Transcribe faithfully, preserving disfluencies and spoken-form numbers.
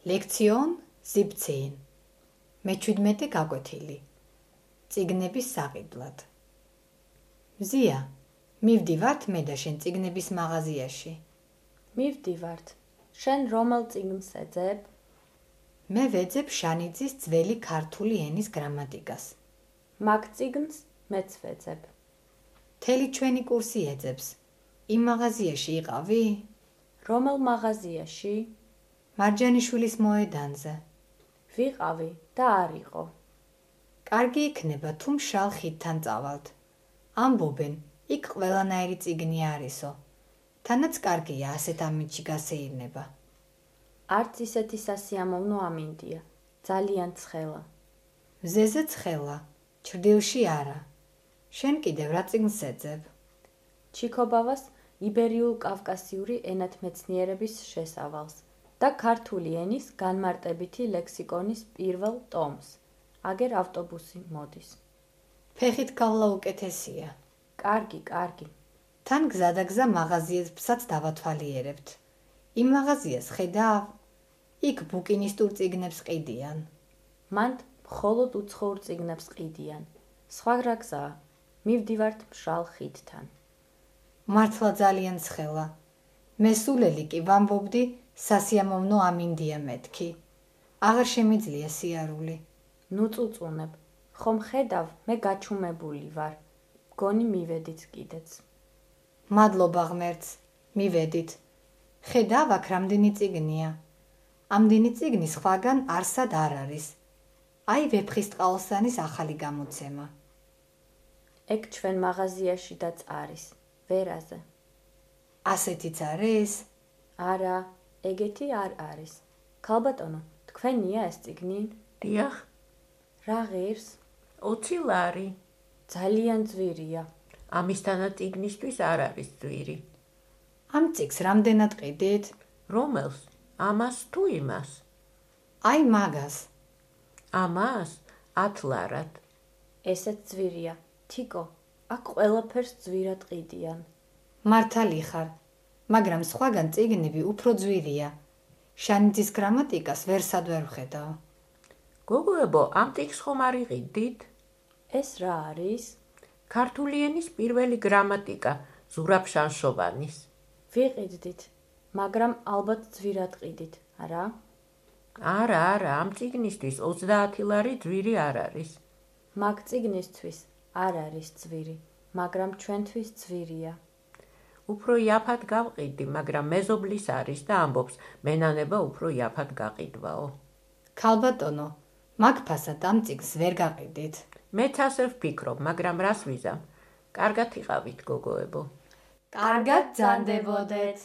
ლექციონ siebzehn. მეჩვიდმეტე გაკვეთილი. წიგნების საყიდლად. მზია, მივდივართ მე და შენ წიგნების მაღაზიაში. მივდივართ. შენ რომელ წიგნს ეძებ? მე ვეძებ შანიძის ძველი ქართული ენის გრამატიკას. მაგ წიგნს მეც ვეძებ. მთელი ჩვენი კურსი ეძებს. იმ მაღაზიაში იყავი? რომელ მაღაზიაში? მარჯანიშვილის მოედანზე. ვიყავი და არ იყო. კარგი იქნება თუ მშრალ ხიდთან წავალთ. ამბობენ, იქ ყველანაირი წიგნი არისო. თანაც კარგია ასეთ ამინდში გასეირნება. არც ისეთი სასიამოვნო ამინდია. ძალიან ცხელა. მზეზე ცხელა, ჩრდილში არა. შენ კიდევ რა წიგნს ეძებ? ჩიქობავას იბერიულ-კავკასიური ენათმეცნიერების შესავალს და ქართული ენის განმარტებითი ლექსიკონის პირველ ტომს. აგერ ავტობუსი მოდის. ფეხით გავლა უკეთესია. კარგი, კარგი. თან გზადაგზა მაღაზიებსაც დავათვალიერებთ. იმ მაღაზიას ხედავ? იქ ბუკინისტურ წიგნებს ყიდიან. მანდ მხოლოდ უცხოურ წიგნებს ყიდიან. სხვა რა გზაა? მივდივართ მშრალ ხიდთან. მართლა ძალიან ცხელა. მე სულელი კი ვამბობდი, სასიამოვნო ამინდია მეთქი. აღარ შემიძლია სიარული. ნუ წუწუნებ. ხომ ხედავ, მე გაჩუმებული ვარ. გონი მივედით კიდეც. მადლობა ღმერთს, მივედით. ხედავ, აქ რამდენი წიგნია. ამდენი წიგნი სხვაგან არსად არ არის. აი ვეფხისტყაოსანის ახალი გამოცემა. ეგ ჩვენ მაღაზიაში დაც არის, ვერაზე. ასეთიც არის? არა, ეგეთი არ არის. ქალბატონო, თქვენია ეს წიგნი? დიახ. რა ღირს? ოცი ლარი. ძალიან ძვირია. ამისთანა წიგნისთვის არ არის ძვირი. ამ წიგნს რამდენად ყიდით? რომელს? ამას თუ იმას? აი მაგას. ამას? ათ ლარად. ესეც ძვირია. თიკო, აქ ყველაფერს ძვირად ყიდიან. მართალი ხარ, მაგრამ სხვაგან წიგნები უფრო ძვირია. შანიძის გრამატიკას ვერსად ვერ ვხედავ. გოგოებო, ამ წიგნს ხომ არ იყიდით? ეს რა არის? ქართული ენის პირველი გრამატიკა ზურაბ შანშოვანის. ვიყიდდით, მაგრამ ალბათ ძვირად ყიდით, არა? არა, არა, ამ წიგნისთვის ოცდაათი ლარი ძვირი არ არის. მაგ წიგნისთვის არ არის ძვირი, მაგრამ ჩვენთვის ძვირია. უფრო იაფად გავყიდი, მაგრამ მეზობლის არის და ამბობს, მენანება უფრო იაფად გაყიდვაო. ქალბატონო, მაგ ფასად ამ წიგნს ვერ გაყიდით. მეც ასე ვფიქრობ, მაგრამ რას ვიზამ? კარგად იყავით, გოგოებო. კარგად ბრძანდებოდეთ.